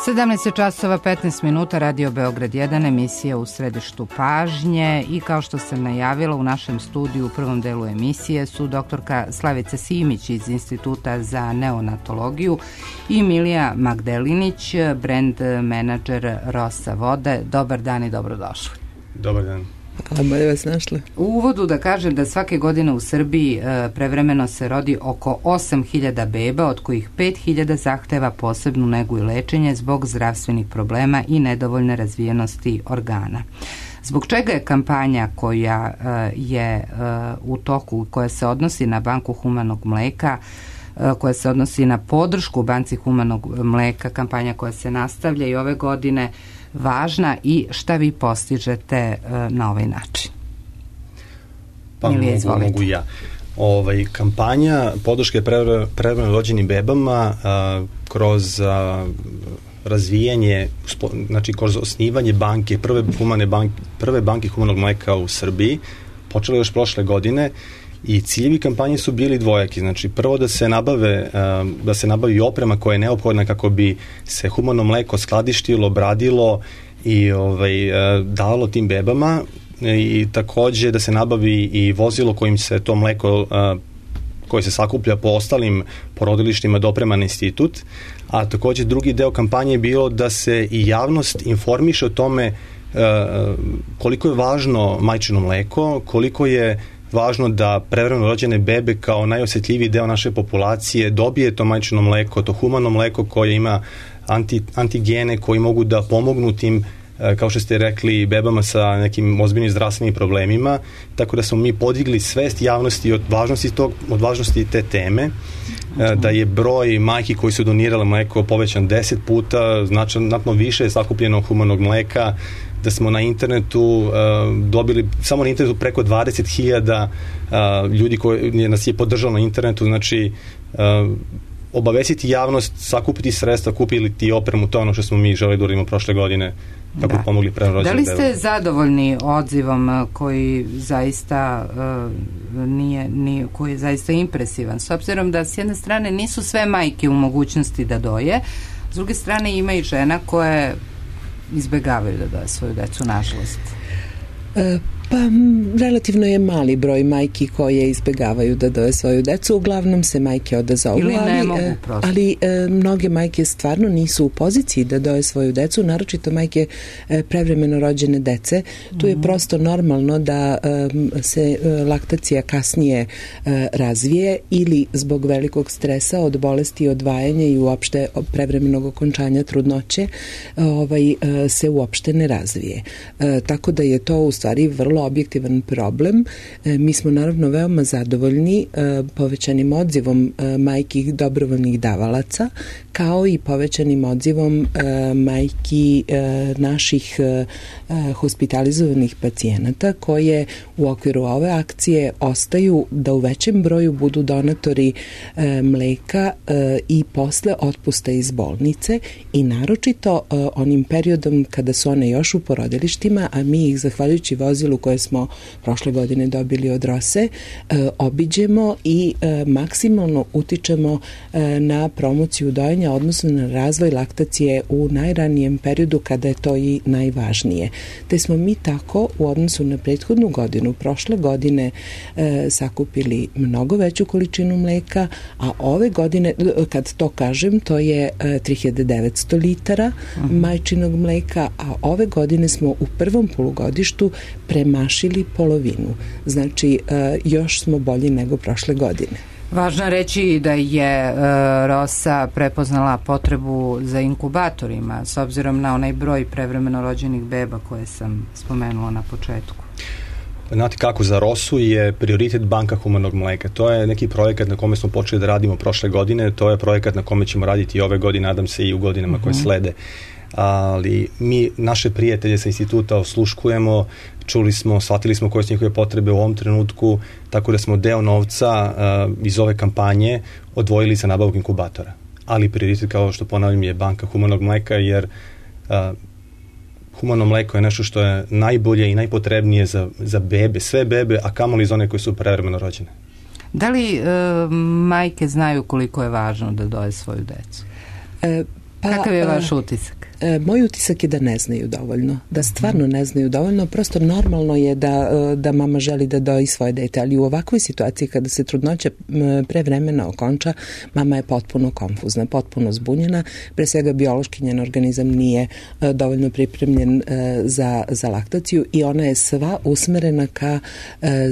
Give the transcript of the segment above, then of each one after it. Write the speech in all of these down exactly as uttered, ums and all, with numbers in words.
sedamnaest časova petnaest minuta, Radio Beograd jedan, emisija U središtu pažnje, i kao što sam najavila, u našem studiju u prvom delu emisije su doktorka Slavica Simić iz Instituta za neonatologiju i Milija Magdelinić, brand menadžer Rosa vode. Dobar dan i dobrodošli. Dobar dan. Hvala, bolje vas našli. U uvodu da kažem da svake godine u Srbiji e, prevremeno se rodi oko osam hiljada beba, od kojih pet hiljada zahteva posebnu negu i lečenje zbog zdravstvenih problema i nedovoljne razvijenosti organa. Zbog čega je kampanja koja e, je e, u toku, koja se odnosi na Banku humanog mleka, e, koja se odnosi na podršku Banci humanog mleka, kampanja koja se nastavlja i ove godine, važna i šta vi postižete uh, na ovaj način? Pa Milije, mogu, mogu ja. Ovaj, kampanja podrške prevremeno rođenim bebama uh, kroz uh, razvijanje, znači kroz osnivanje banke, prve, humane banke, prve banke humanog mleka u Srbiji, počela još prošle godine. I ciljevi kampanje su bili dvojaki, znači prvo da se nabave, da se nabavi oprema koja je neophodna kako bi se humano mleko skladištilo, bradilo i ovaj, dalo tim bebama, i takođe da se nabavi i vozilo kojim se to mleko koje se sakuplja po ostalim porodilištima doprema na institut, a takođe drugi deo kampanje je bilo da se i javnost informiše o tome koliko je važno majčino mleko, koliko je važno da prevremeno rođene bebe kao najosetljiviji deo naše populacije dobije to majčino mleko, to humano mleko koje ima anti, antigene koji mogu da pomognu tim, kao što ste rekli, bebama sa nekim ozbiljnim zdravstvenim problemima, tako da smo mi podigli svest javnosti od važnosti, tog, od važnosti te teme, da je broj majki koji su donirale mleko povećan deset puta, znatno više je sakupljeno humanog mleka, da smo na internetu uh, dobili, samo na internetu preko dvadeset hiljada uh, ljudi koji nas je podržalo na internetu, znači uh, obavestiti javnost, sakupiti sredstva, kupili ti opremu, to ono što smo mi želeli da uradimo prošle godine, kako da. pomogli prevremeno rođenim bebama. Da li ste zadovoljni odzivom koji zaista uh, nije, nije, koji je zaista impresivan, s obzirom da s jedne strane nisu sve majke u mogućnosti da doje, s druge strane ima i žena koje izbegavaju da doje svoju decu, nažalost? E, pa relativno je mali broj majki koje izbegavaju da doje svoju decu, uglavnom se majke odazovu, ili ne ali, mogu prosto. ali e, mnoge majke stvarno nisu u poziciji da doje svoju decu, naročito majke e, prevremeno rođene dece. Tu je prosto normalno da e, se e, laktacija kasnije e, razvije ili zbog velikog stresa od bolesti, odvajanja i uopšte prevremenog okončanja trudnoće ovaj, e, se uopšte ne razvije. E, tako da je to u stvari vrlo objektivan problem. E, mi smo naravno veoma zadovoljni e, povećanim odzivom e, majki dobrovoljnih davalaca, kao i povećanim odzivom e, majki e, naših e, hospitalizovanih pacijenata koje u okviru ove akcije ostaju da u većem broju budu donatori e, mleka e, i posle otpusta iz bolnice, i naročito e, onim periodom kada su one još u porodilištima, a mi ih zahvaljujući vozilu koje smo prošle godine dobili od Rose, e, obiđemo i e, maksimalno utičemo e, na promociju dojenja, odnosno na razvoj laktacije u najranijem periodu kada je to i najvažnije. Te smo mi tako u odnosu na prethodnu godinu, prošle godine e, sakupili mnogo veću količinu mleka, a ove godine, kad to kažem, to je e, tri hiljade devetsto litara uh-huh. majčinog mleka, a ove godine smo u prvom polugodištu premašili polovinu. Znači, e, još smo bolji nego prošle godine. Važno je reći da je e, Rosa prepoznala potrebu za inkubatorima, s obzirom na onaj broj prevremeno rođenih beba koje sam spomenula na početku. Znate kako, za Rosu je prioritet Banka humanog mleka. To je neki projekat na kome smo počeli da radimo prošle godine, to je projekat na kome ćemo raditi i ove godine, nadam se i u godinama uh-huh. koje slede. Ali mi naše prijatelje sa instituta osluškujemo, čuli smo, shvatili smo koje su njihove potrebe u ovom trenutku, tako da smo deo novca uh, iz ove kampanje odvojili za nabavku inkubatora. Ali prioritet, kao što ponavljam, je Banka humanog mleka, jer uh, humano mleko je nešto što je najbolje i najpotrebnije za, za bebe, sve bebe, a kamoli za one koje su prevremeno rođene. Da li uh, majke znaju koliko je važno da doje svoju decu? E, Pa, kakav je vaš utisak? Moj utisak je da ne znaju dovoljno, da stvarno ne znaju dovoljno, prosto normalno je da, da mama želi da doji svoje dete, ali u ovakvoj situaciji kada se trudnoća pre vremena okonča, mama je potpuno konfuzna, potpuno zbunjena, pre svega biološki njen organizam nije dovoljno pripremljen za, za laktaciju i ona je sva usmerena ka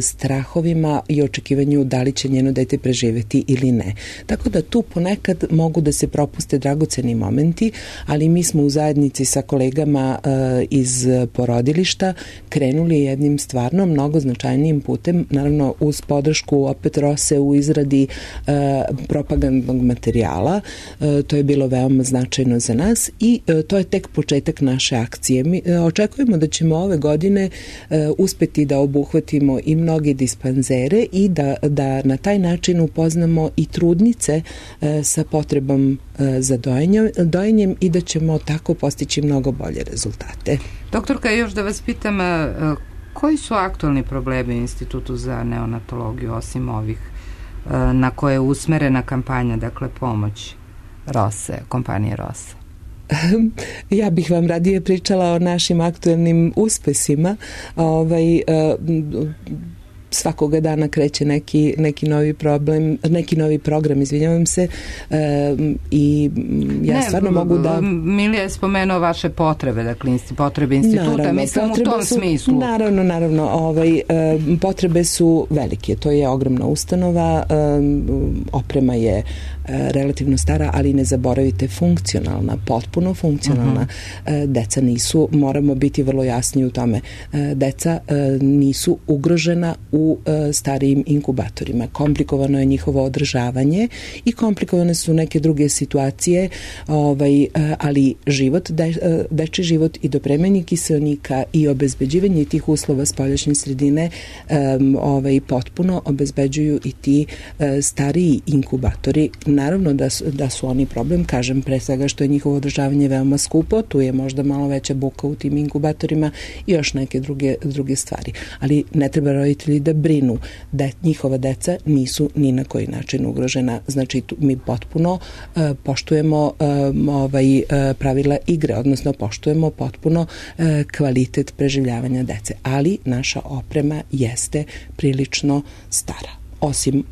strahovima i očekivanju da li će njeno dete preživeti ili ne. Tako da tu ponekad mogu da se propuste dragoceni momenti, ali mi smo u zajednici sa kolegama uh, iz porodilišta krenuli jednim stvarno mnogo značajnijim putem, naravno uz podršku opet Rose u izradi uh, propagandnog materijala. Uh, to je bilo veoma značajno za nas i uh, to je tek početak naše akcije. Mi uh, očekujemo da ćemo ove godine uh, uspeti da obuhvatimo i mnoge dispanzere i da, da na taj način upoznamo i trudnice uh, sa potrebom uh, za dojenjem, dojenjem i da ćemo tako postići mnogo bolje rezultate. Doktorka, još da vas pitam, koji su aktualni problemi u Institutu za neonatologiju osim ovih na koje je usmerena kampanja, dakle pomoć Rose, kompanije Rose? Ja bih vam radije pričala o našim aktualnim uspesima. Ovaj, svakoga dana kreće neki, neki novi problem, neki novi program, izvinjavam se, e, i ja ne, stvarno mogu da... Milija je spomenuo vaše potrebe, dakle, potrebe instituta, naravno, mislim u tom su, smislu. Naravno, naravno, ovaj, e, potrebe su velike, to je ogromna ustanova, e, oprema je e, relativno stara, ali ne zaboravite funkcionalna, potpuno funkcionalna. Uh-huh. E, deca nisu, moramo biti vrlo jasni u tome, e, deca e, nisu ugrožena u u starijim inkubatorima. Komplikovano je njihovo održavanje i komplikovane su neke druge situacije, ovaj, ali život, de, deči život i dopremanje kiseonika i obezbeđivanje tih uslova spoljašnje sredine um, ovaj, potpuno obezbeđuju i ti uh, stariji inkubatori. Naravno da su, da su oni problem, kažem pre svega što je njihovo održavanje veoma skupo, tu je možda malo veća buka u tim inkubatorima i još neke druge, druge stvari. Ali ne treba roditelji da brinu da njihova deca nisu ni na koji način ugrožena. Znači tu mi potpuno uh, poštujemo um, ovaj, uh, pravila igre, odnosno poštujemo potpuno uh, kvalitet preživljavanja dece. Ali naša oprema jeste prilično stara. Osim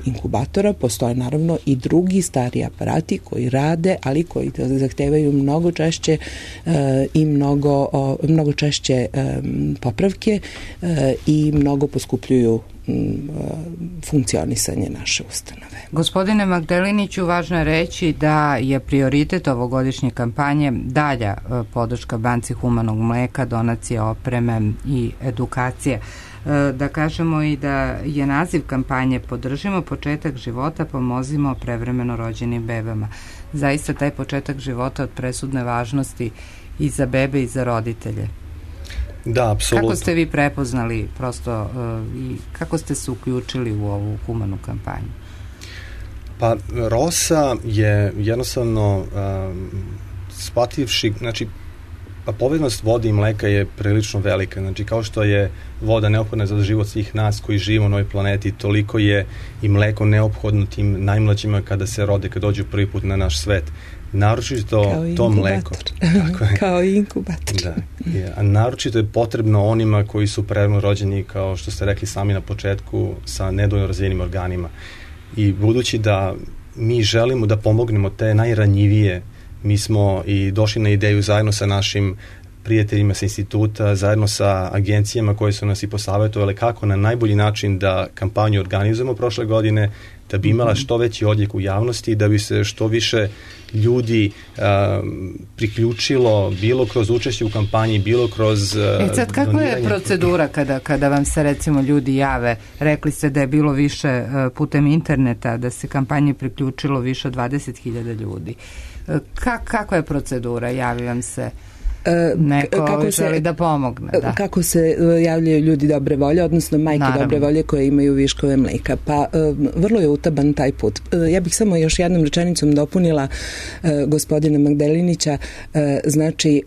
inkubatora postoje naravno i drugi stari aparati koji rade, ali koji zahtevaju mnogo češće uh, i mnogo, uh, mnogo češće um, popravke uh, i mnogo poskupljuju um, funkcionisanje naše ustanove. Gospodine Magdeliniću, važno je reći da je prioritet ovogodišnje kampanje dalja uh, podrška Banci humanog mleka, donacije opreme i edukacije. Da kažemo i da je naziv kampanje Podržimo početak života, pomozimo prevremeno rođenim bebama. Zaista taj početak života od presudne važnosti i za bebe i za roditelje. Da, apsolutno. Kako ste vi prepoznali prosto uh, i kako ste se uključili u ovu humanu kampanju? Pa Rosa je jednostavno um, shvativši, znači pa poveznost vode i mleka je prilično velika. Znači, kao što je voda neophodna za život svih nas koji živimo na ovoj planeti, toliko je i mleko neophodno tim najmlađima kada se rode, kada dođu prvi put na naš svet. Naročito to mleko. Tako je. Kao i inkubator. Da. Je. A naročito je potrebno onima koji su prerano rođeni, kao što ste rekli sami na početku, sa nedovoljno razvijenim organima. I budući da mi želimo da pomognemo te najranjivije, mi smo i došli na ideju zajedno sa našim prijateljima sa instituta, zajedno sa agencijama koje su nas i posavjetovale kako na najbolji način da kampanju organizujemo prošle godine, da bi imala što veći odjek u javnosti, da bi se što više ljudi uh, priključilo bilo kroz učešće u kampanji, bilo kroz uh, E sad, kakva je procedura kada, kada vam se recimo ljudi jave? Rekli ste da je bilo više uh, putem interneta, da se kampanji priključilo više od dvadeset hiljada ljudi. Ka, kakva je procedura? Javi vam se... neko kako želi se, da pomogne. Da. Kako se javljaju ljudi dobre volje, odnosno majke Naravno. dobre volje koje imaju viškove mleka. Pa vrlo je utaban taj put. Ja bih samo još jednom rečenicom dopunila gospodina Magdelinića. Znači,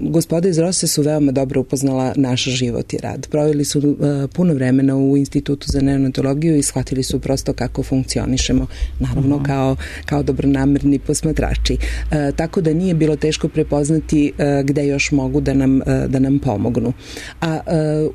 gospoda iz Rose su veoma dobro upoznala naš život i rad. Proveli su puno vremena u Institutu za neonatologiju i shvatili su prosto kako funkcionišemo, naravno uh-huh. kao, kao dobronamerni posmatrači. E, tako da nije bilo teško prepoznati e, gde još mogu da nam, e, da nam pomognu. A e,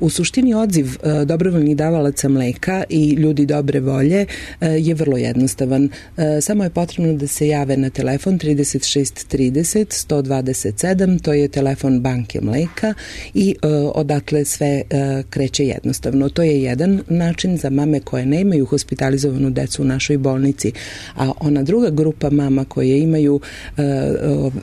u suštini odziv e, dobrovoljnih davalaca mleka i ljudi dobre volje e, je vrlo jednostavan. E, samo je potrebno da se jave na telefon trideset šest trideset sto dvadeset sedam, to je telefon banke mleka i e, odatle sve e, kreće jednostavno. To je jedan način za mame koje ne imaju hospitalizovanu decu u našoj bolnici, a ona druga grupa mama koje imaju e,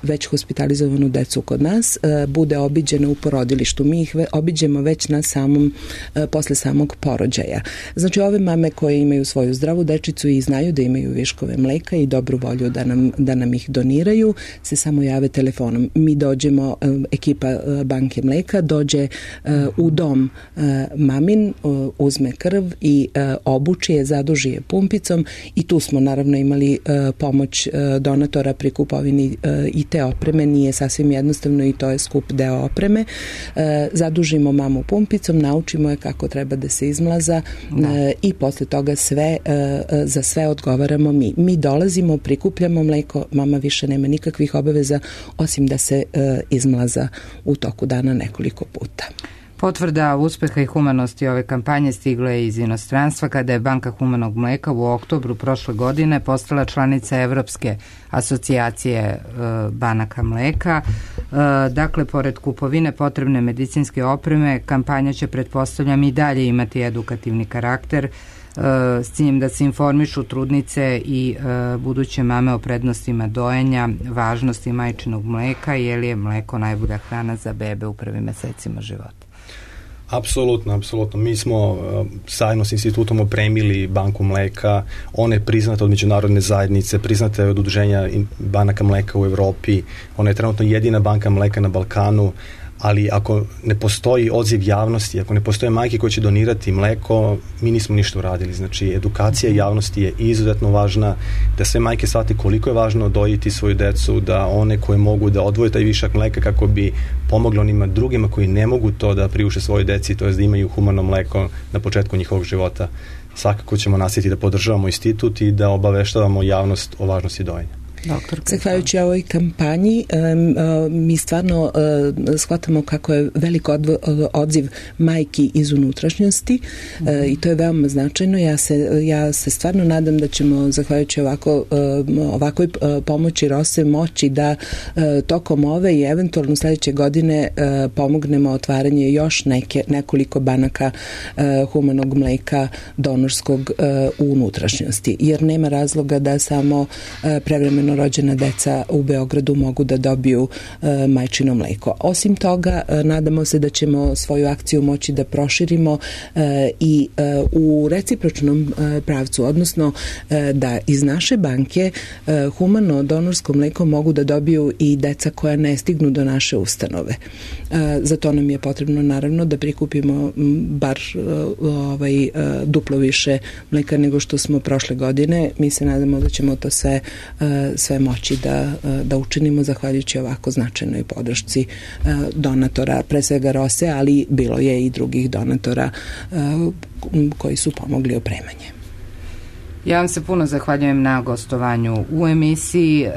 već hospitalizovanu decu kod nas e, bude obiđena u porodilištu. Mi ih ve, obiđemo već na samom, e, posle samog porođaja. Znači ove mame koje imaju svoju zdravu dečicu i znaju da imaju viškove mleka i dobru volju da nam, da nam ih doniraju, se samo jave telefonom. Mi dođemo, e, ekipa e, banke mleka dođe e, u dom e, mamin, e, uzme krv i e, obuči je, zaduži je pumpicom i tu smo naravno imali e, pomoć e, donatora pri kupovini e, i te opreme. Nije sasvim jednostavno i to je skup deo opreme. E, zadužimo mamu pumpicom, naučimo je kako treba da se izmlaza e, i posle toga sve e, za sve odgovaramo mi. Mi dolazimo, prikupljamo mleko, mama više nema nikakvih obaveza osim da se e, izmlaza u toku dana nekoliko puta. Potvrda uspeha i humanosti ove kampanje stigla je iz inostranstva kada je Banka humanog mleka u oktobru prošle godine postala članica Evropske asocijacije e, banaka mleka. E, dakle, pored kupovine potrebne medicinske opreme, kampanja će, pretpostavljam, i dalje imati edukativni karakter s ciljem da se informišu trudnice i e, buduće mame o prednostima dojenja, važnosti majčinog mleka, jer je mleko najbolja hrana za bebe u prvim mesecima života. Apsolutno, apsolutno. Mi smo uh, zajedno s institutom opremili banku mleka, ona je priznata od međunarodne zajednice, priznata je od udruženja banaka mleka u Evropi, ona je trenutno jedina banka mleka na Balkanu, ali ako ne postoji odziv javnosti, ako ne postoje majke koje će donirati mleko, mi nismo ništa uradili. Znači, edukacija javnosti je izuzetno važna, da sve majke shvate koliko je važno dojiti svoju decu, da one koje mogu da odvoje taj višak mleka kako bi pomogli onima drugima koji ne mogu to da priuše svojoj deci, to je da imaju humano mleko na početku njihovog života. Svakako ćemo nastaviti da podržavamo institut i da obaveštavamo javnost o važnosti dojenja. Zahvaljujući ovoj kampanji mi stvarno shvatamo kako je velik odziv majki iz unutrašnjosti i to je veoma značajno. Ja se, ja se stvarno nadam da ćemo zahvaljujući ovako, ovakoj pomoći Rose moći da tokom ove i eventualno sledeće godine pomognemo otvaranje još neke, nekoliko banaka humanog mleka donorskog u unutrašnjosti, jer nema razloga da samo prevremeno rođena deca u Beogradu mogu da dobiju e, majčino mleko. Osim toga, e, nadamo se da ćemo svoju akciju moći da proširimo e, i e, u recipročnom e, pravcu, odnosno e, da iz naše banke e, humano donorsko mleko mogu da dobiju i deca koja ne stignu do naše ustanove. E, za to nam je potrebno naravno da prikupimo m, bar e, ovaj, e, duplo više mleka nego što smo prošle godine. Mi se nadamo da ćemo to sve e, sve moći da, da učinimo zahvaljujući ovako značajnoj podršci donatora, pre svega Rose, ali bilo je i drugih donatora koji su pomogli opremanje. Ja vam se puno zahvaljujem na gostovanju u emisiji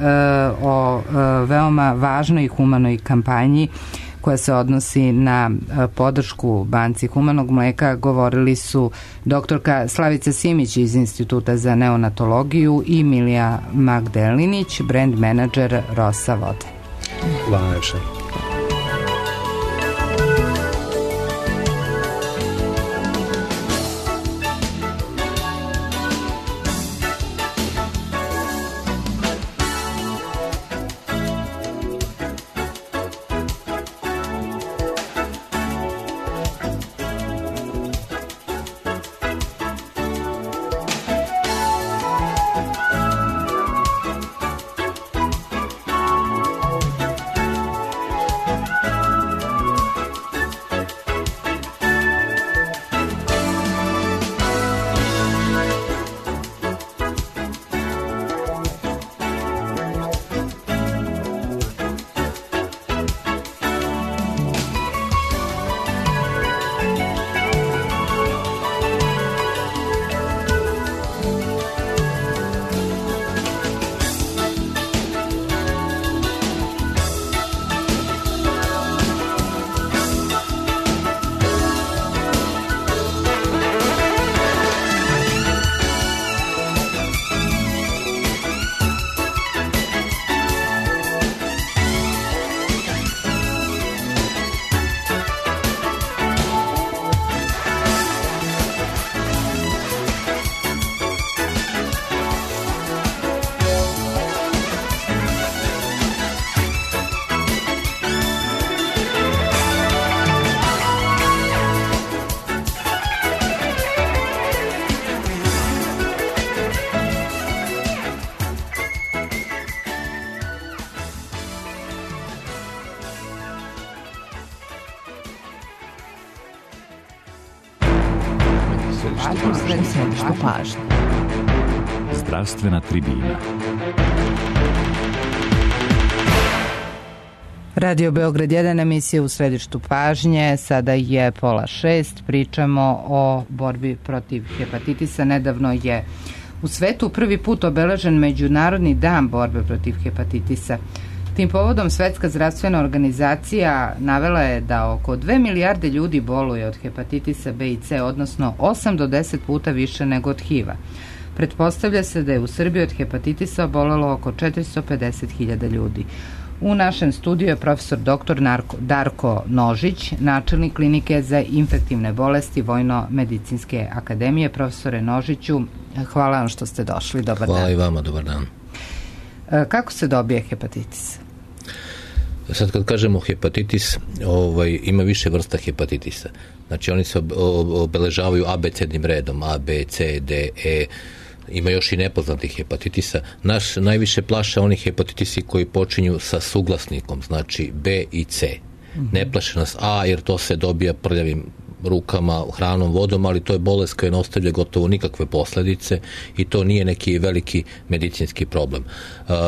o veoma važnoj i humanoj kampanji koja se odnosi na podršku Banci humanog mleka. Govorili su doktorka Slavica Simić iz Instituta za neonatologiju i Milija Magdelinić, brand menadžer Rosa vode. Hvala najviše. središtu pažnje. Zdravstvena tribina. Radio Beograd jedan, emisija u središtu pažnje. Sada je pola šest. Pričamo o borbi protiv hepatitisa. Nedavno je u svetu prvi put obeležen Međunarodni dan borbe protiv hepatitisa. Tim povodom Svetska zdravstvena organizacija navela je da oko dve milijarde ljudi boluje od hepatitisa B i C, odnosno osam do deset puta više nego od H I V-a. Pretpostavlja se da je u Srbiji od hepatitisa obolelo oko četiristo pedeset hiljada ljudi. U našem studiju je profesor doktor Darko Nožić, načelnik klinike za infektivne bolesti Vojno-medicinske akademije. Profesore Nožiću, hvala vam što ste došli. Dobar hvala dan. I vama, dobar dan. Kako se dobije hepatitis? Sad kad kažemo hepatitis, ovaj, ima više vrsta hepatitisa. Znači oni se obeležavaju abecednim redom, A, B, C, D, E, ima još i nepoznatih hepatitisa. Naš najviše plaše oni hepatitisi koji počinju sa suglasnikom, znači B i C. Mm-hmm. Ne plaše nas A jer to se dobija prljavim rukama, hranom, vodom, ali to je bolest koja ne ostavlja gotovo nikakve posledice i to nije neki veliki medicinski problem.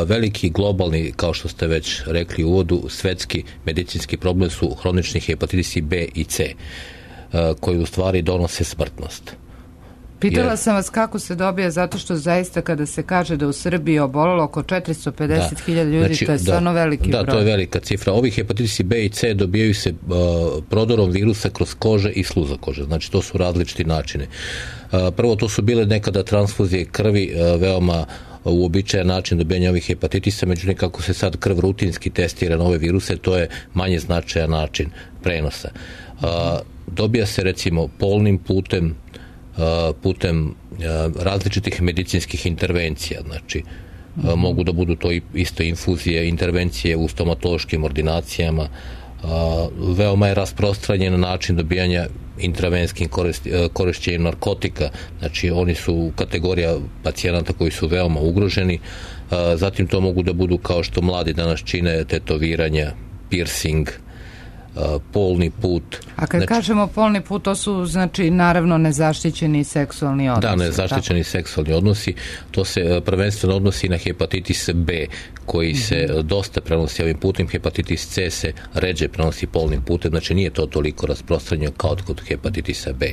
Veliki globalni, kao što ste već rekli u uvodu, svetski medicinski problem su hronični hepatitisi B i C, koji u stvari donose smrtnost. Pitala Jer, sam vas kako se dobija, zato što zaista kada se kaže da u Srbiji obolelo oko četiristo pedeset hiljada ljudi, znači, to je stvarno da, veliki da, broj. Da, to je velika cifra. Ovi hepatitisi B i C dobijaju se uh, prodorom virusa kroz kože i sluza kože. Znači, to su različiti načine. Uh, prvo, to su bile nekada transfuzije krvi, uh, veoma uobičajen način dobijanja ovih hepatitisa, međutim kako se sad krv rutinski testira na ove viruse, to je manje značajan način prenosa. Uh, dobija se recimo polnim putem, putem različitih medicinskih intervencija, znači mm-hmm. mogu da budu to isto infuzije, intervencije u stomatološkim ordinacijama. Veoma je rasprostranjen način dobijanja intravenskim korišćenjem narkotika, znači oni su kategorija pacijenata koji su veoma ugroženi. Zatim to mogu da budu, kao što mladi danas čine, tetoviranja, piercing, polni put. A kad znači, kažemo polni put, to su znači naravno nezaštićeni seksualni odnosi. Da, nezaštićeni tako? seksualni odnosi. To se prvenstveno odnosi na hepatitis B, koji mm-hmm. se dosta prenosi ovim putem. Hepatitis C se ređe prenosi polnim putem, znači nije to toliko rasprostranjeno kao kod hepatitisa B.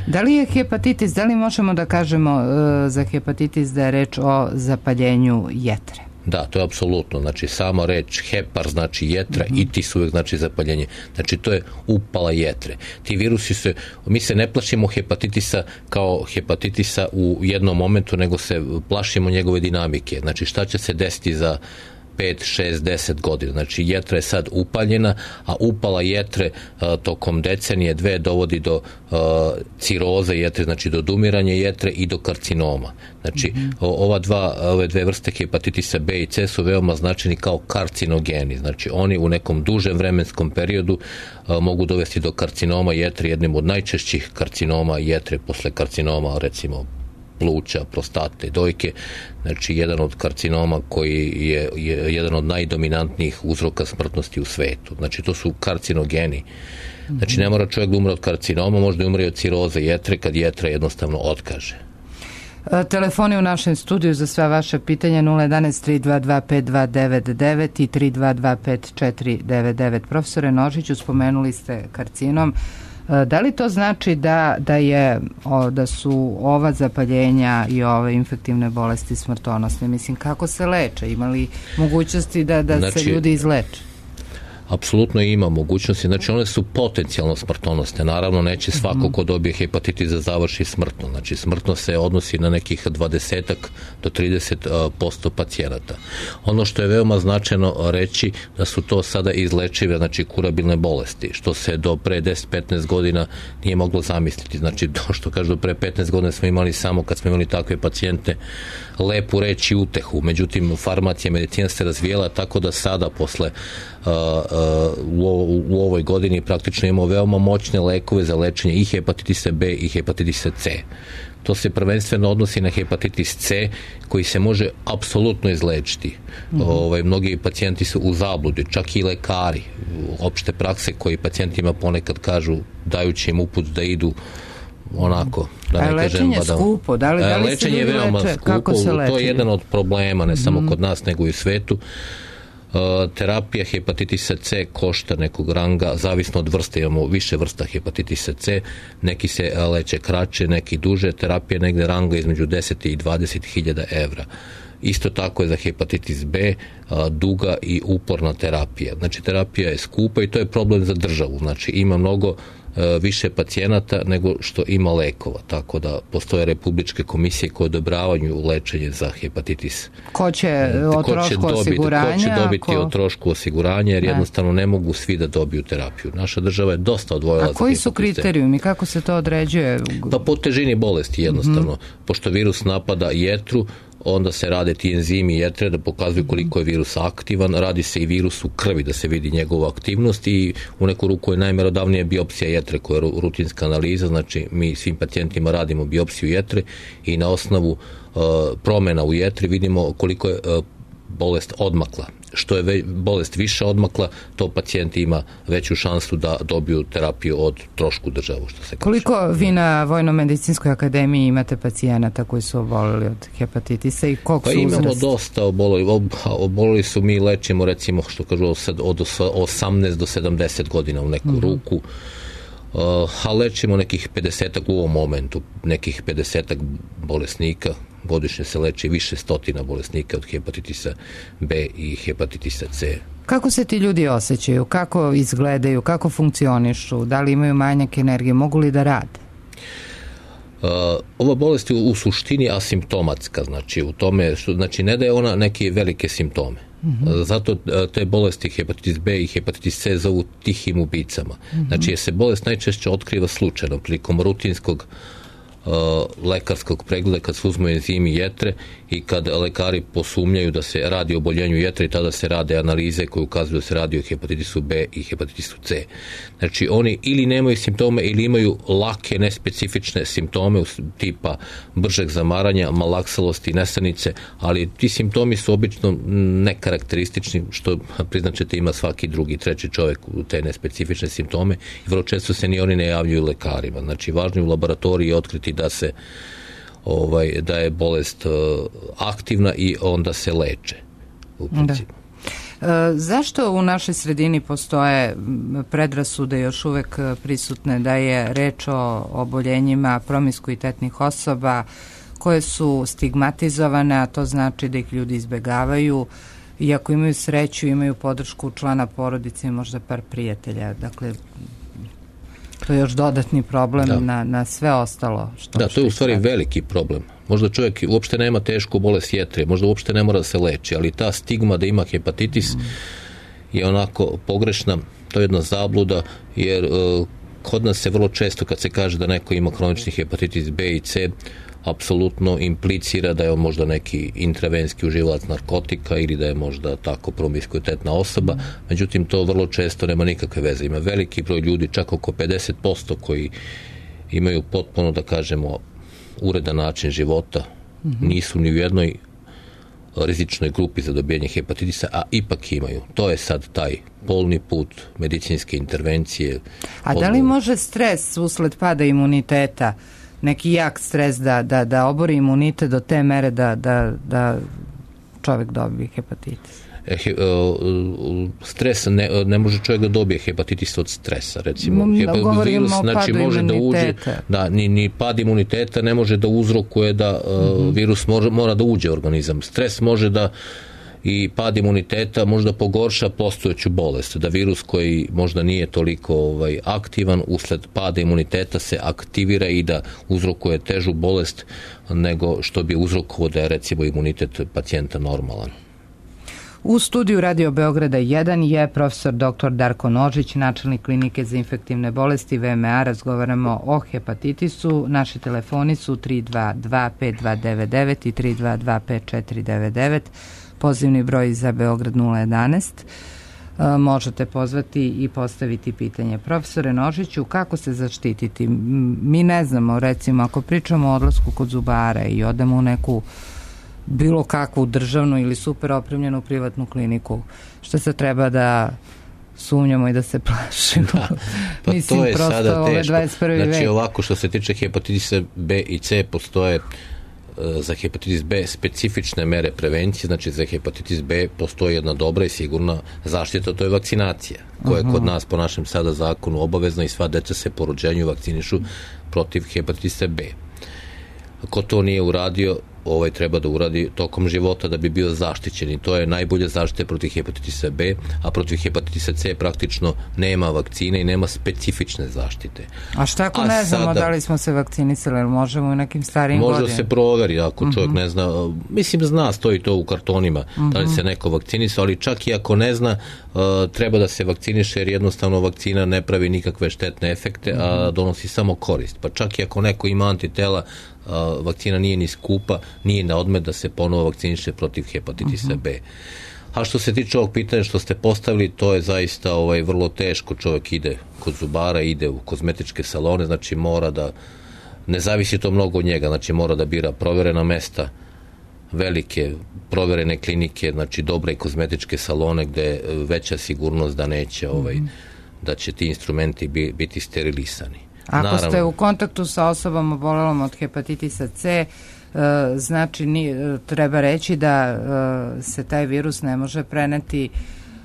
Da li je hepatitis, da li možemo da kažemo uh, za hepatitis da je reč o zapaljenju jetre? Da, to je apsolutno, znači sama reč hepar znači jetra mm-hmm. i tis uvek znači zapaljenje, znači to je upala jetre. Ti virusi se, mi se ne plašimo hepatitisa kao hepatitisa u jednom momentu, nego se plašimo njegove dinamike, znači šta će se desiti za pet, šest, deset godina. Znači jetra je sad upaljena, a upala jetre a, tokom decenije dve dovodi do a, ciroze jetre, znači do odumiranja jetre i do karcinoma. Znači mm-hmm. o, ova dva, ove dve vrste hepatitisa B i C su veoma značajni kao karcinogeni. Znači oni u nekom dužem vremenskom periodu a, mogu dovesti do karcinoma jetre, jednim od najčešćih karcinoma jetre posle karcinoma recimo pluća, prostate, dojke, znači jedan od karcinoma koji je, je jedan od najdominantnijih uzroka smrtnosti u svetu. Znači to su karcinogeni. Znači ne mora čovjek da umre od karcinoma, možda umre od ciroze jetre kad jetra jednostavno otkaže. Telefoni u našem studiju za sva vaša pitanja nula jedan tri dva dva pet dva devet devet i tri dva dva pet četiri devet devet. Profesore Nožiću, spomenuli ste karcinom. Da li to znači da, da, je, o, da su ova zapaljenja i ove infektivne bolesti smrtonosne? Mislim, kako se leče? Ima li mogućnosti da, da znači, se ljudi izleče? Apsolutno ima mogućnosti, znači one su potencijalno smrtonosne, naravno neće svako ko dobije hepatitis da završi smrtno, znači smrtno se odnosi na nekih dvadeset do trideset posto pacijenata. Ono što je veoma značajno reći da su to sada izlečive, znači kurabilne bolesti, što se do pre deset do petnaest godina nije moglo zamisliti, znači to što kažu do pre petnaest godina smo imali samo kad smo imali takve pacijente lepu reč i utehu, međutim farmacija, medicina se razvijela tako da sada posle uh, uh, u, u ovoj godini praktično imamo veoma moćne lekove za lečenje i hepatitisa B i hepatitisa C. To se prvenstveno odnosi na hepatitis C koji se može apsolutno izlečiti. Mm-hmm. Ovaj, mnogi pacijenti su u zabludi, čak i lekari opšte prakse koji pacijentima ponekad kažu, dajući im uput da idu onako, da ne kažem... A lečenje je skupo? Da li, da li lečenje je veoma leče? Skupo, to je jedan od problema, ne samo mm-hmm. kod nas, nego i u svetu. Uh, terapija hepatitisa C košta nekog ranga, zavisno od vrste, imamo više vrsta hepatitisa C, neki se leče kraće, neki duže, terapija negde ranga između deset i dvadeset hiljada evra. Isto tako je za hepatitis B a, duga i uporna terapija. Znači, terapija je skupa i to je problem za državu. Znači, ima mnogo a, više pacijenata nego što ima lekova. Tako da postoje republičke komisije koje odobravaju lečenje za hepatitis. Ko će o trošku osiguranja? Ko će dobiti ko... o trošku osiguranja, jer ne. jednostavno ne mogu svi da dobiju terapiju. Naša država je dosta odvojila za hepatitis. A koji su kriterijumi? Kako se to određuje? Pa po težini bolesti jednostavno. Mm-hmm. Pošto virus napada jetru, onda se rade ti enzimi jetre da pokazuju koliko je virus aktivan, radi se i virus u krvi da se vidi njegova aktivnost i u neku ruku je najmerodavnija biopsija jetre koja je rutinska analiza, znači mi svim pacijentima radimo biopsiju jetre i na osnovu uh, promjena u jetri vidimo koliko je uh, bolest odmakla. Što je ve, bolest više odmakla, to pacijent ima veću šansu da dobiju terapiju od trošku državu, što se kaže. Koliko vi na Vojno-medicinskoj akademiji imate pacijenata koji su obolili od hepatitisa i koliko pa su uzrast? Pa imamo dosta obolili. Obolili su, mi lečimo recimo, što kažu, od osamnaest do sedamdeset godina u neku mm-hmm. ruku. Uh, a lečimo nekih pedesetak u ovom momentu, nekih pedesetak bolesnika. Godišnje se leči više stotina bolesnika od hepatitisa B i hepatitisa C. Kako se ti ljudi osjećaju? Kako izgledaju? Kako funkcionišu? Da li imaju manjak energije? Mogu li da rade? Uh, ova bolest je u suštini asimptomatska, znači u tome, znači ne da je ona neke velike simptome. Mm-hmm. Zato te bolesti hepatitis B i hepatitis C zovu tihim ubicama. Mm-hmm. Znači, se bolest najčešće otkriva slučajno prilikom rutinskog uh, lekarskog pregleda kad se uzmu enzimi jetre i kad lekari posumnjaju da se radi o oboljenju jetre i tada se rade analize koje ukazuju da se radi o hepatitisu B i hepatitisu C. Znači, oni ili nemaju simptome ili imaju lake, nespecifične simptome tipa bržeg zamaranja, malaksalosti, nesanice, ali ti simptomi su obično nekarakteristični, što priznačete ima svaki drugi, treći čovjek u te nespecifične simptome i vrlo često se ni oni ne javljaju lekarima. Znači, važno je u laboratoriji otkriti da se ovaj, da je bolest uh, aktivna i onda se leče u principu. Da. E, zašto u našoj sredini postoje predrasude još uvek prisutne da je reč o oboljenjima promiskuitetnih osoba koje su stigmatizovane, a to znači da ih ljudi izbegavaju i ako imaju sreću imaju podršku člana porodice i možda par prijatelja. Dakle, to je još dodatni problem na, na sve ostalo. Što, da, to je u stvari veliki problem. Možda čovjek uopšte nema tešku bolest jetre, možda uopšte ne mora da se leči, ali ta stigma da ima hepatitis mm. je onako pogrešna, to je jedna zabluda, jer uh, kod nas se vrlo često kad se kaže da neko ima kronični hepatitis B i C, apsolutno implicira da je on možda neki intravenski uživalac narkotika ili da je možda tako promiskuitetna osoba, međutim to vrlo često nema nikakve veze. Ima veliki broj ljudi, čak oko pedeset posto koji imaju potpuno, da kažemo, uredan način života, mm-hmm. nisu ni u jednoj rizičnoj grupi za dobijanje hepatitisa, a ipak imaju. To je sad taj polni put medicinske intervencije. A da li može stres usled pada imuniteta, neki jak stres da, da, da obori imunitet do te mere da, da, da čovjek dobije hepatitis? He, uh, stres, ne, ne može čovjek da dobije hepatitis od stresa, recimo. Da, virus, znači, može da uđe, da, ni, ni pad imuniteta ne može da uzrokuje da uh, mm-hmm. virus mora, mora da uđe u organizam. Stres može da i pad imuniteta možda pogorša postojeću bolest, da virus koji možda nije toliko ovaj, aktivan usled pada imuniteta se aktivira i da uzrokuje težu bolest nego što bi uzrokovao da je recimo imunitet pacijenta normalan. U studiju Radio Beograda jedan je profesor doktor Darko Nožić, načelnik klinike za infektivne bolesti V M A. Razgovaramo o hepatitisu. Naši telefoni su tri dva dva pet dva devet devet i tri dva dva pet četiri devet devet. Pozivni broj za Beograd nula jedanaest. E, možete pozvati i postaviti pitanje. Profesore Nožiću, kako se zaštititi? Mi ne znamo, recimo, ako pričamo o odlasku kod zubara i odemo u neku bilo kakvu državnu ili super opremljenu privatnu kliniku, što se treba da sumnjamo i da se plašimo. Da, pa Mislim, to je prosto sada teško. dvadeset prvi Znači vek. ovako što se tiče hepatitisa B i C postoje za hepatitis B specifične mere prevencije, znači za hepatitis B postoji jedna dobra i sigurna zaštita, to je vakcinacija, koja je kod nas po našem sada zakonu obavezna i sva deca se po rođenju vakcinišu protiv hepatitisa B. Ko to nije uradio, ovaj treba da uradi tokom života da bi bio zaštićen i to je najbolja zaštita protiv hepatitisa B, a protiv hepatitisa C praktično nema vakcine i nema specifične zaštite. A šta ako a ne znamo sada, da li smo se vakcinisali, ili možemo u nekim starijim godinama? Može se proveri ako uh-huh. čovjek ne zna, mislim zna, stoji to u kartonima, uh-huh. da li se neko vakcinisao, ali čak i ako ne zna, uh, treba da se vakciniše jer jednostavno vakcina ne pravi nikakve štetne efekte, uh-huh. a donosi samo korist. Pa čak i ako neko ima antitela, Uh, vakcina nije ni skupa, nije na odmet da se ponovo vakciniše protiv hepatitisa uh-huh. B. A što se tiče ovog pitanja što ste postavili, to je zaista ovaj, vrlo teško. Čovjek ide kod zubara, ide u kozmetičke salone, znači mora da, ne zavisi to mnogo od njega, znači mora da bira proverena mesta, velike proverene klinike, znači dobre kozmetičke salone gde je veća sigurnost da neće, ovaj, uh-huh. da će ti instrumenti biti sterilisani. Ako Naravno. ste u kontaktu sa osobom obolelom od hepatitisa C, znači treba reći da se taj virus ne može preneti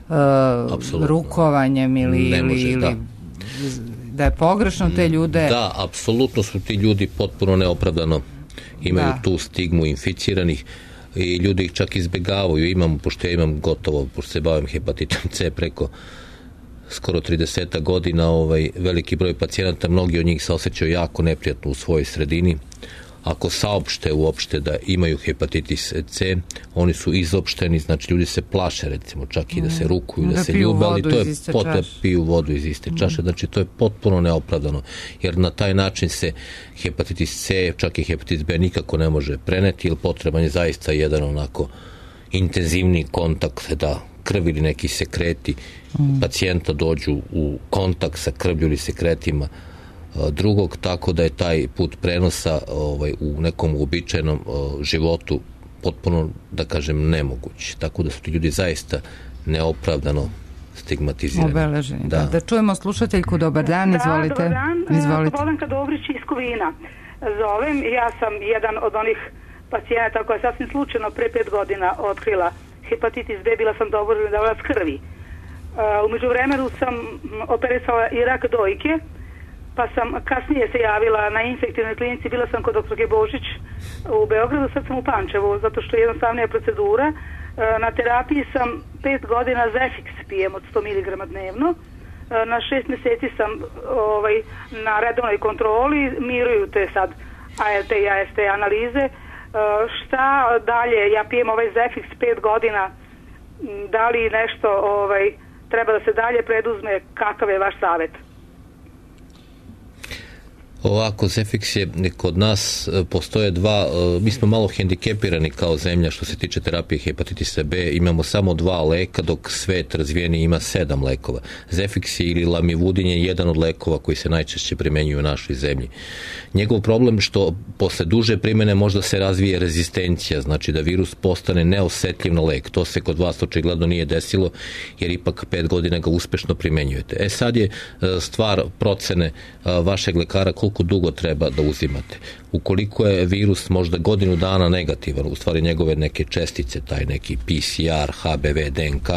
Absolutno. rukovanjem ili, ne može, ili, da. ili da je pogrešno te ljude. Da, apsolutno su ti ljudi potpuno neopravdano imaju da. tu stigmu inficiranih i ljudi ih čak izbegavaju. Imam, pošto ja imam gotovo, pošto se bavim hepatitom C preko skoro trideset godina, ovaj, veliki broj pacijenata, mnogi od njih se osjećaju jako neprijatno u svojoj sredini. Ako saopšte uopšte da imaju hepatitis C, oni su izopšteni, znači ljudi se plaše recimo čak i da se rukuju, da, da se ljube, ali to je potpuno piju vodu iz iste čaše, znači to je potpuno neopravdano, jer na taj način se hepatitis C, čak i hepatitis B nikako ne može preneti, jer potreban je zaista jedan onako intenzivni kontakt da krv ili neki sekreti mm. pacijenta dođu u kontakt sa krvlju ili sekretima drugog, tako da je taj put prenosa ovaj, u nekom uobičajenom životu potpuno, da kažem, nemoguć. Tako da su ti ljudi zaista neopravdano stigmatizirani. Obeleženi. Da. Da, da čujemo slušateljku. Dobar dan, izvolite. Da, dobar dan. Izvolite. Slobodanka Dobrić iz Kovina. Zovem, ja sam jedan od onih pacijenata koja je sasvim slučajno pre pet godina otkrila hepatitis B, bila sam dovoljna davalac krvi. Uh, umeđu vremenu sam operisala i rak dojke, pa sam kasnije se javila na infektivnoj klinici, bila sam kod doktorke Božić u Beogradu, sad sam u Pančevu, zato što je jednostavnija procedura. Uh, na terapiji sam pet godina Zefix pijem od sto miligrama dnevno. Uh, na šest mjeseci sam ovaj, na redovnoj kontroli, miruju te sad A L T i A S T analize. Uh, šta dalje, ja pijem ovaj Zefix pet godina, da li nešto ovaj, treba da se dalje preduzme, kakav je vaš savjet? Ovako, Zefix je kod nas, postoje dva, mi smo malo hendikepirani kao zemlja što se tiče terapije hepatitisa B, imamo samo dva leka, dok svet razvijeni ima sedam lekova. Zefix ili Lamivudin je jedan od lekova koji se najčešće primenjuju u našoj zemlji. Njegov problem što posle duže primene možda se razvije rezistencija, znači da virus postane neosetljiv na lek. To se kod vas očigledno nije desilo, jer ipak pet godina ga uspešno primenjujete. E sad je stvar procene vašeg lekara koliko dugo treba da uzimate. Ukoliko je virus možda godinu dana negativan, u stvari njegove neke čestice, taj neki P C R, H B V, D N K,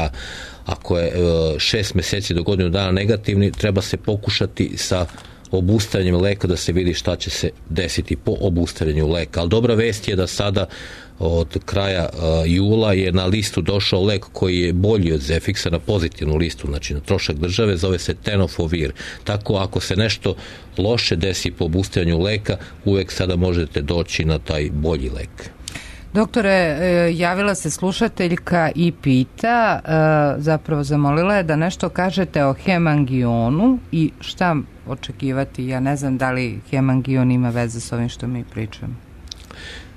ako je šest meseci do godinu dana negativni, treba se pokušati sa obustavljanjem leka da se vidi šta će se desiti po obustavljanju leka. Ali dobra vest je da sada od kraja uh, jula je na listu došao lek koji je bolji od Zefixa, na pozitivnu listu, znači na trošak države, zove se Tenofovir. Tako ako se nešto loše desi po obustavljanju leka, uvek sada možete doći na taj bolji lek. Doktore, javila se slušateljka i pita, zapravo zamolila je da nešto kažete o hemangionu i šta očekivati. Ja ne znam da li hemangion ima veze s ovim što mi pričamo.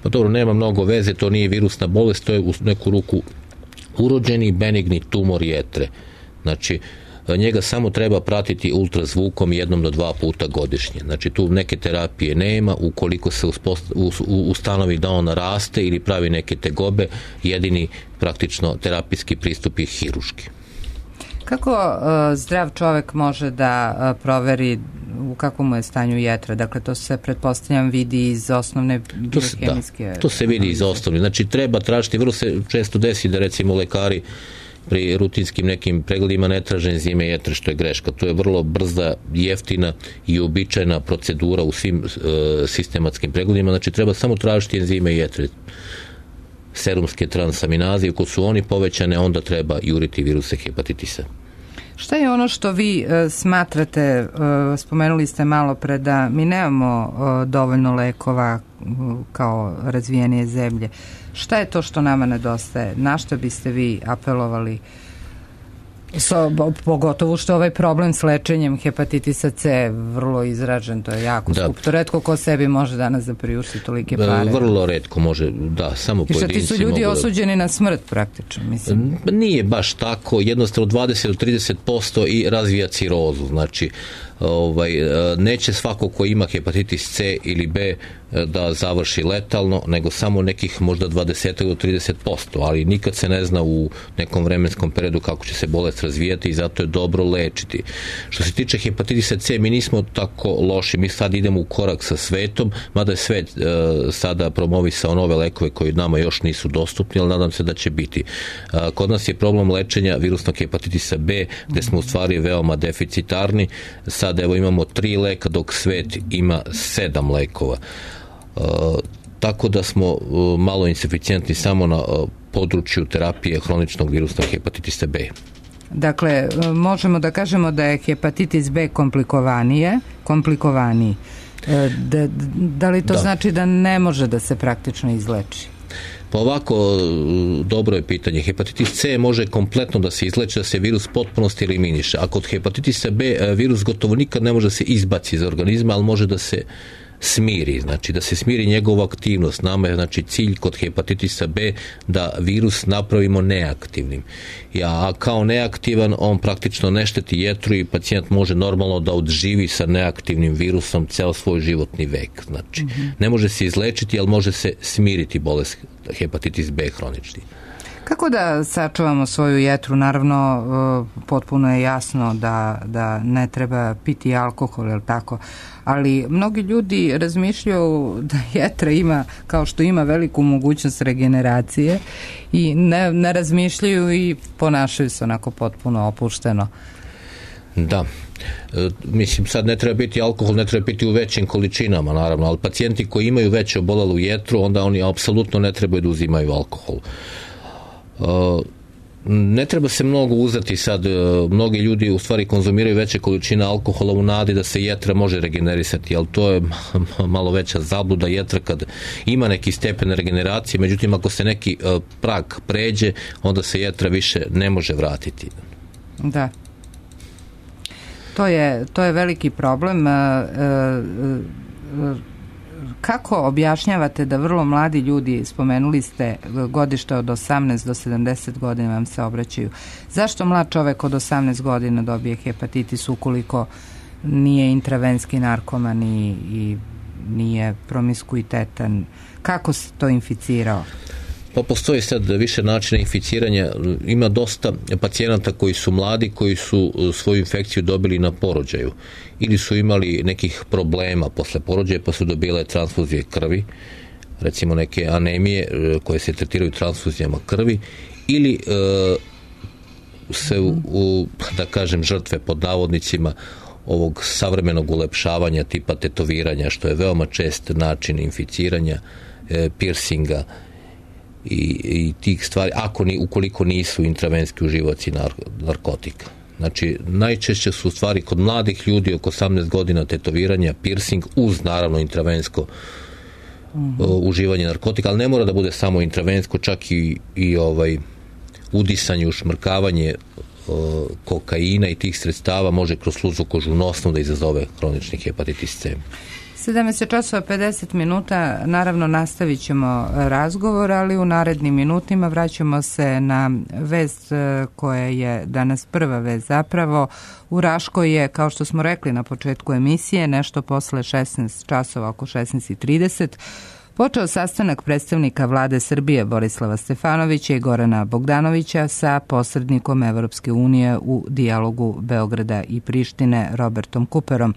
Pa dobro, nema mnogo veze, to nije virusna bolest, to je u neku ruku urođeni benigni tumor jetre. Znači, njega samo treba pratiti ultrazvukom jednom do dva puta godišnje. Znači, tu neke terapije nema, ukoliko se ustanovi da on raste ili pravi neke tegobe, jedini praktično terapijski pristup je hiruški. Kako uh, zdrav čovek može da uh, proveri u kakvom mu je stanju jetra? Dakle, to se, pretpostavljam, vidi iz osnovne biohemijske... Da, to se vidi iz osnovne. Znači, treba tražiti, vrlo se često desi da, recimo, lekari pri rutinskim nekim pregledima ne traže enzime jetre, što je greška. To je vrlo brza, jeftina i uobičajena procedura u svim uh, sistematskim pregledima. Znači, treba samo tražiti enzime jetre, serumske transaminaze, ako su oni povećane, onda treba juriti viruse hepatitisa. Šta je ono što vi uh, smatrate, uh, spomenuli ste malo pre da mi nemamo uh, dovoljno lekova uh, kao razvijenije zemlje. Šta je to što nama nedostaje? Na što biste vi apelovali? So, pogotovo što ovaj problem s lečenjem hepatitisa C vrlo izražen, to je jako da. skup. To retko ko sebi može danas da priušti tolike pare. Vrlo retko može, da, samo pojedinci. I šta ti su ljudi osuđeni na smrt praktično, mislim? Nije baš tako, jednostavno dvadeset do trideset posto i razvija cirozu, znači ovaj, neće svako ko ima hepatitis C ili B da završi letalno, nego samo nekih možda dvadeset do trideset posto, ali nikad se ne zna u nekom vremenskom periodu kako će se bolest razvijati i zato je dobro lečiti. Što se tiče hepatitisa C, mi nismo tako loši, mi sad idemo u korak sa svetom, mada je svet e, sada promovisao nove lekove koji nama još nisu dostupni, ali nadam se da će biti. E, kod nas je problem lečenja virusnog hepatitisa B, gde smo u stvari veoma deficitarni. Sad evo imamo tri leka, dok svet ima sedam lekova. E, tako da smo e, malo insuficijentni samo na e, području terapije hroničnog virusnog hepatitisa B. Dakle, možemo da kažemo da je hepatitis B komplikovanije, komplikovaniji. Da, da li to da. znači da ne može da se praktično izleči? Pa ovako, dobro je pitanje. Hepatitis C može kompletno da se izleči, da se virus potpunosti eliminiše. A kod hepatitisa B virus gotovo nikad ne može da se izbaci iz organizma, ali može da se smiri, znači da se smiri njegova aktivnost. Nama je znači cilj kod hepatitisa B da virus napravimo neaktivnim. A kao neaktivan on praktično ne šteti jetru i pacijent može normalno da odživi sa neaktivnim virusom ceo svoj životni vek. Znači, mm-hmm. ne može se izlečiti, ali može se smiriti bolest hepatitis B hronični. Kako da sačuvamo svoju jetru? Naravno, potpuno je jasno da, da ne treba piti alkohol, je li tako? Ali mnogi ljudi razmišljaju da jetra ima, kao što ima veliku mogućnost regeneracije i ne, ne razmišljaju i ponašaju se onako potpuno opušteno. Da. E, mislim, sad ne treba biti alkohol, ne treba biti u većim količinama, naravno, ali pacijenti koji imaju veće obolelu jetru, onda oni apsolutno ne trebaju da uzimaju alkohol. Uh, ne treba se mnogo uzeti sad, uh, mnogi ljudi u stvari konzumiraju veće količine alkohola u nadi da se jetra može regenerisati, ali to je malo veća zabluda. Jetra kad ima neki stepen regeneracije, međutim ako se neki uh, prag pređe, onda se jetra više ne može vratiti. Da. To je, to je veliki problem. Uh, uh, uh, Kako objašnjavate da vrlo mladi ljudi, spomenuli ste godište od osamnaest do sedamdeset godina vam se obraćaju, zašto mlad čovek od osamnaest godina dobije hepatitis ukoliko nije intravenski narkoman i, i nije promiskuitetan? Kako se to inficirao? Pa postoji sad više načina inficiranja. Ima dosta pacijenata koji su mladi, koji su svoju infekciju dobili na porođaju ili su imali nekih problema posle porođaja pa su dobile transfuzije krvi, recimo neke anemije koje se tretiraju transfuzijama krvi, ili e, se u, u, da kažem, žrtve pod navodnicima ovog savremenog ulepšavanja tipa tetoviranja, što je veoma čest način inficiranja, e, piercinga i, i tih stvari, ako ni, ukoliko nisu intravenski uživaoci nar, narkotika. Znači, najčešće su stvari kod mladih ljudi oko osamnaest godina tetoviranja, piercing uz naravno intravensko mm-hmm. uh, uživanje narkotika, ali ne mora da bude samo intravensko, čak i, i ovaj udisanje, ušmrkavanje uh, kokaina i tih sredstava može kroz sluzu kožu nosnu da izazove hronični hepatitis C. sedamnaest časova pedeset minuta, naravno nastavit ćemo razgovor, ali u narednim minutima vraćamo se na vest koja je danas prva vest zapravo. U Raškoj je, kao što smo rekli na početku emisije, nešto posle šesnaest časova, oko šesnaest i trideset, počeo sastanak predstavnika vlade Srbije Borislava Stefanovića i Gorana Bogdanovića sa posrednikom Evropske unije u dijalogu Beograda i Prištine Robertom Kuperom.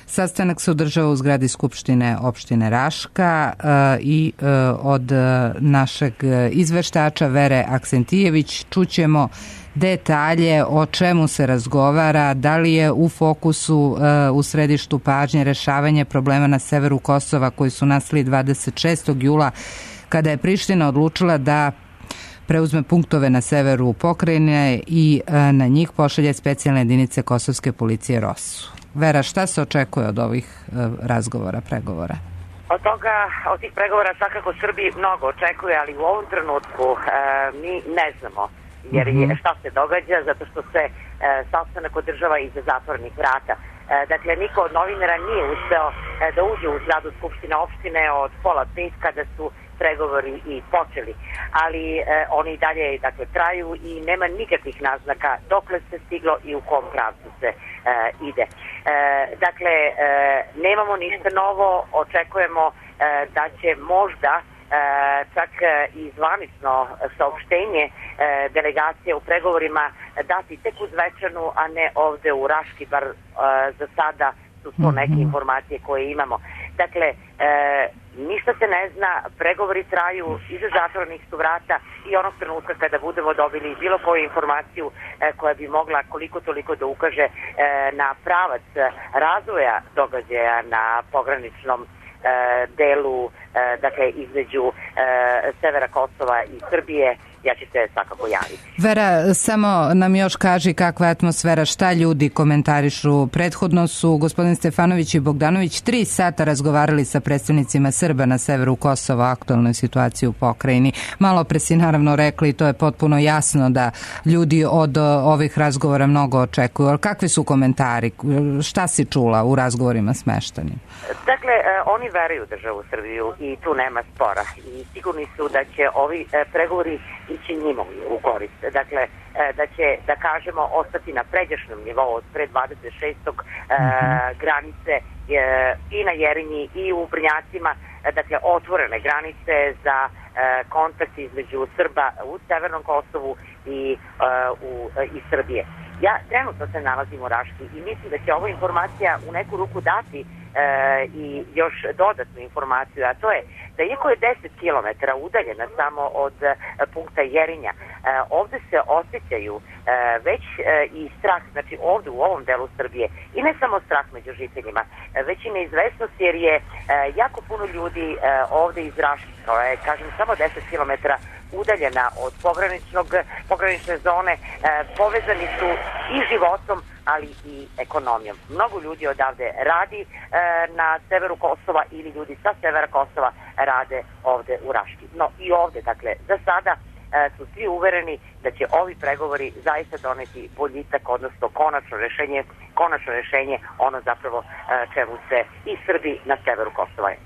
Sastanak se održava u zgradi Skupštine opštine Raška i od našeg izveštača Vere Aksentijević čućemo detalje o čemu se razgovara, da li je u fokusu u središtu pažnje rešavanje problema na severu Kosova koji su nastali dvadeset šestog jula kada je Priština odlučila da preuzme punktove na severu pokrajine i na njih pošalje specijalne jedinice kosovske policije ROSU. Vera, šta se očekuje od ovih razgovora, pregovora? Od toga, od tih pregovora svakako Srbiji mnogo očekuje, ali u ovom trenutku e, mi ne znamo jer je, šta se događa, zato što se e, sastanak održava iza zatvorenih vrata. E, dakle, niko od novinara nije uspeo e, da uđe u zgradu Skupštine opštine od pola pet kada su pregovori i počeli, ali e, oni i dalje dakle, traju i nema nikakvih naznaka dokle se stiglo i u kom pravcu se e, ide. E, dakle, e, nemamo ništa novo, očekujemo e, da će možda e, čak i zvanično saopštenje e, delegacije u pregovorima dati tek uz večernu, a ne ovde u Raški, bar e, za sada su to neke informacije koje imamo. Dakle, e, ništa se ne zna, pregovori traju, iza zatvorenih su vrata i onog trenutka kada budemo dobili bilo koju informaciju e, koja bi mogla koliko toliko da ukaže e, na pravac razvoja događaja na pograničnom e, delu, e, dakle između e, severa Kosova i Srbije, ja ću se svakako javiti. Vera, samo nam još kaži kakva je atmosfera, šta ljudi komentarišu. Prethodno su gospodin Stefanović i Bogdanović tri sata razgovarali sa predstavnicima Srba na severu Kosova o aktualnoj situaciji u pokrajini. Malo pre si naravno rekli, to je potpuno jasno da ljudi od ovih razgovora mnogo očekuju. Ali kakvi su komentari? Šta si čula u razgovorima smeštanim? Dakle, oni veruju državu Srbiju i tu nema spora. I sigurni su da će ovi pregovori ići njima u korist. Dakle, da će, da kažemo, ostati na pređašnjem nivou od pre dvadeset šestog Mm-hmm. granice i na Jerinji i u Brnjacima, dakle, otvorene granice za kontakt između Srba u Severnom Kosovu i, u, i Srbije. Ja trenutno se nalazim u Raški i mislim da će ova informacija u neku ruku dati e, i još dodatnu informaciju, a to je da iako je deset kilometara udaljena samo od e, punkta Jerinja, e, ovde se osjećaju e, već e, i strah, znači ovde u ovom delu Srbije, i ne samo strah među žiteljima, e, već i neizvesnost jer je e, jako puno ljudi e, ovde iz Raški, to je, kažem, samo deset kilometara udaljena od pograničnog, pogranične zone, e, povezani su i životom, ali i ekonomijom. Mnogo ljudi odavde radi e, na severu Kosova ili ljudi sa severa Kosova rade ovde u Raški. No i ovde, dakle, za sada e, su svi uvereni da će ovi pregovori zaista doneti boljitak, odnosno konačno rešenje, konačno rešenje, ono zapravo e, čemu se i Srbi na severu Kosova e,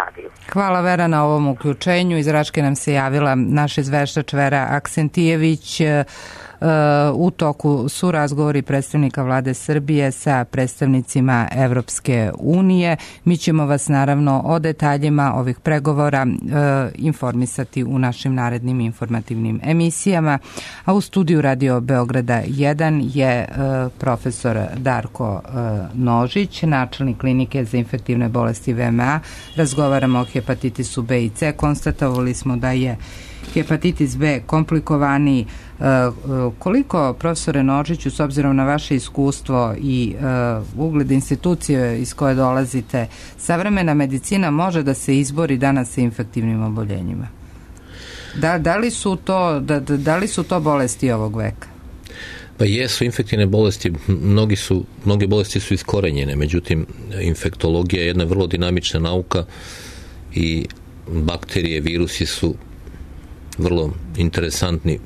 nadaju. Hvala Vera na ovom uključenju. Iz Raške nam se javila naš izveštač Vera Aksentijević. U toku su razgovori predstavnika vlade Srbije sa predstavnicima Evropske unije. Mi ćemo vas naravno o detaljima ovih pregovora informisati u našim narednim informativnim emisijama. A u studiju Radio Beograda jedan je profesor Darko Nožić, načelnik klinike za infektivne bolesti V M A. Razgovaramo o hepatitisu B i C. Konstatovali smo da je hepatitis B komplikovaniji. Koliko, profesore Nožiću, s obzirom na vaše iskustvo i ugled institucije iz koje dolazite, savremena medicina može da se izbori danas sa infektivnim oboljenjima? Da, da, li su to, da, da li su to bolesti ovog veka? Pa jesu infektivne bolesti, mnogi su, mnoge bolesti su iskorenjene, međutim infektologija je jedna vrlo dinamična nauka i bakterije, virusi su vrlo interesantni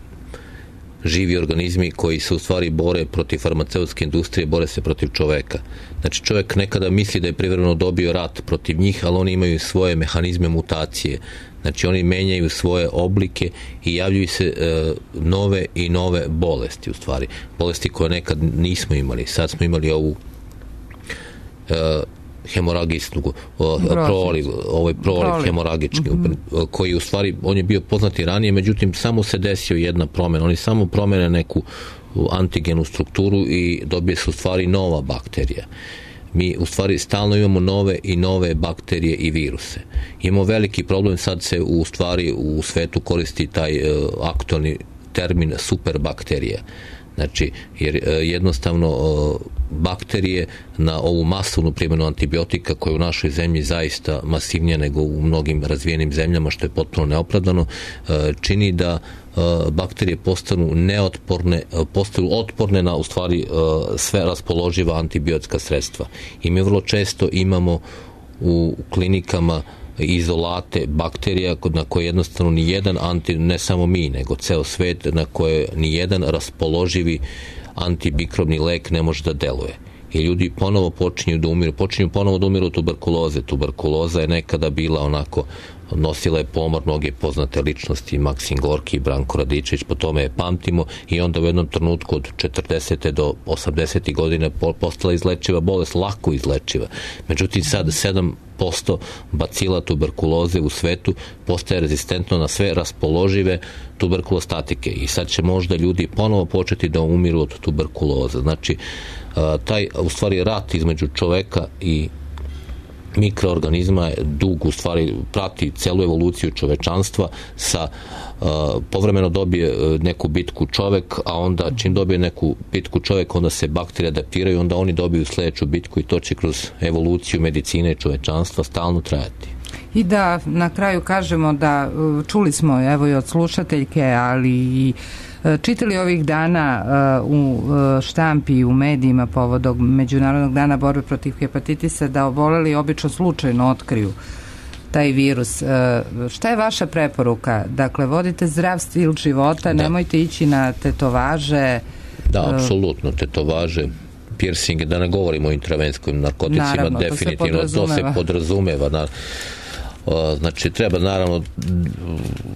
živi organizmi koji se u stvari bore protiv farmaceutske industrije, bore se protiv čoveka. Znači čovjek nekada misli da je privremeno dobio rat protiv njih, ali oni imaju svoje mehanizme mutacije. Znači oni menjaju svoje oblike i javljaju se e, nove i nove bolesti u stvari. Bolesti koje nekad nismo imali. Sad smo imali ovu e, hemoragijsku proliv, ovaj proliv hemoragički, mm-hmm. koji u stvari, on je bio poznati ranije, međutim samo se desio jedna promjena, oni samo promene neku antigenu strukturu i dobije se u stvari nova bakterija. Mi u stvari stalno imamo nove i nove bakterije i viruse. Imamo veliki problem, sad se u stvari u svetu koristi taj uh, aktualni termin superbakterija. Znači, jer jednostavno bakterije na ovu masovnu primjenu antibiotika koja je u našoj zemlji zaista masivnija nego u mnogim razvijenim zemljama, što je potpuno neopravdano, čini da bakterije postanu neotporne, postanu otporne na u stvari sve raspoloživa antibiotska sredstva. I mi vrlo često imamo u klinikama izolate bakterija na koje jednostavno ni jedan anti, ne samo mi, nego ceo svet, na koje ni jedan raspoloživi antibikrobni lek ne može da deluje. I ljudi ponovo počinju da umiru, počinju ponovo da umiru od tuberkuloze. Tuberkuloza je nekada bila onako, nosila je pomor mnoge poznate ličnosti, Maksim Gorki, Branko Radičević, po tome je pamtimo, i onda u jednom trenutku od četrdesete do osamdesetih godina postala izlečiva bolest, lako izlečiva. Međutim, sad sedam posto bacila tuberkuloze u svetu postaje rezistentno na sve raspoložive tuberkulostatike i sad će možda ljudi ponovo početi da umiru od tuberkuloze. Znači, taj u stvari rat između čoveka i mikroorganizma je dug, u stvari prati celu evoluciju čovečanstva, sa uh, povremeno dobije neku bitku čovek, a onda čim dobije neku bitku čovek, onda se bakterije adaptiraju, onda oni dobiju sledeću bitku i to će kroz evoluciju medicine i čovečanstva stalno trajati. I da na kraju kažemo da čuli smo evo i od slušateljke, ali i čitali ovih dana u štampi i u medijima povodom Međunarodnog dana borbe protiv hepatitisa da oboleli obično slučajno otkriju taj virus. Šta je vaša preporuka? Dakle, vodite zdrav stil života, da. Nemojte ići na tetovaže. Da, apsolutno, tetovaže, piercinge, da ne govorimo o intravenskim narkoticima, naravno, definitivno to se podrazumeva. To se podrazumeva na, znači treba naravno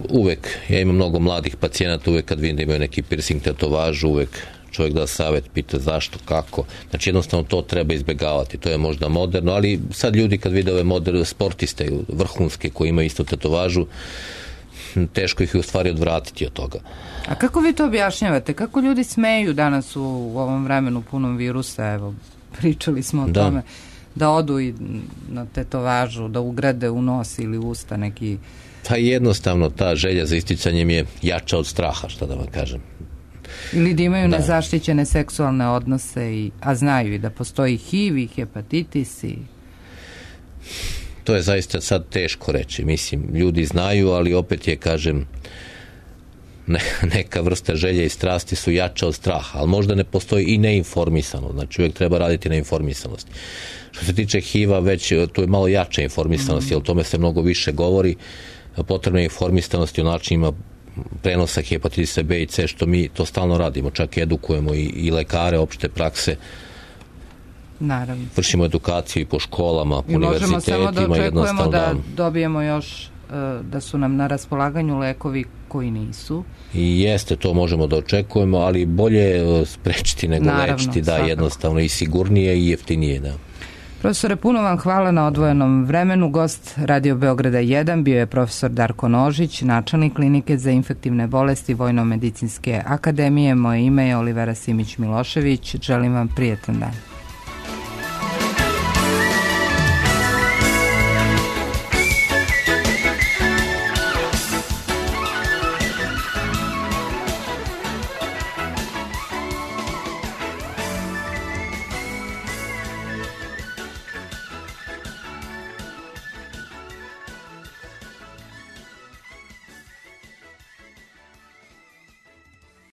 uvek, ja imam mnogo mladih pacijenata, uvek kad vidim da imaju neki piercing, tetovažu, uvek čovjek da savjet, pita zašto, kako, znači jednostavno to treba izbjegavati, to je možda moderno, ali sad ljudi kad vide ove moderne sportiste vrhunske koji imaju isto tetovažu, teško ih je u stvari odvratiti od toga. A kako vi to objašnjavate? Kako ljudi smeju danas u ovom vremenu punom virusa? Evo, pričali smo o da. tome da odu i na tetovažu, da ugrade u nos ili usta neki... Pa jednostavno ta želja za isticanjem je jača od straha, šta da vam kažem. Ili da imaju da. nezaštićene seksualne odnose, i, a znaju i da postoji H I V i hepatitis i... To je zaista sad teško reći. Mislim, ljudi znaju, ali opet je, kažem, ne, neka vrsta želje i strasti su jača od straha, ali možda ne postoji i neinformisanost. Znači, uvijek treba raditi na informisanosti. Što se tiče H I V-a, već tu je malo jača informisanost, mm. jer o tome se mnogo više govori. Potrebna je informisanost o načinima prenosa hepatitisa B i C, što mi to stalno radimo. Čak edukujemo i, i lekare opšte prakse. Naravno. Vršimo edukaciju i po školama, po univerzitetima. I možemo samo da očekujemo da dobijemo još, da su nam na raspolaganju lekovi koji nisu. I jeste, to možemo da očekujemo, ali bolje sprečiti nego Naravno, lečiti, da, svakako. Jednostavno i sigurnije i jeftinije, da. Profesore, puno vam hvala na odvojenom vremenu. Gost Radio Beograda jedan bio je profesor Darko Nožić, načelnik klinike za infektivne bolesti Vojno-medicinske akademije. Moje ime je Olivera Simić Milošević. Želim vam prijetan dan.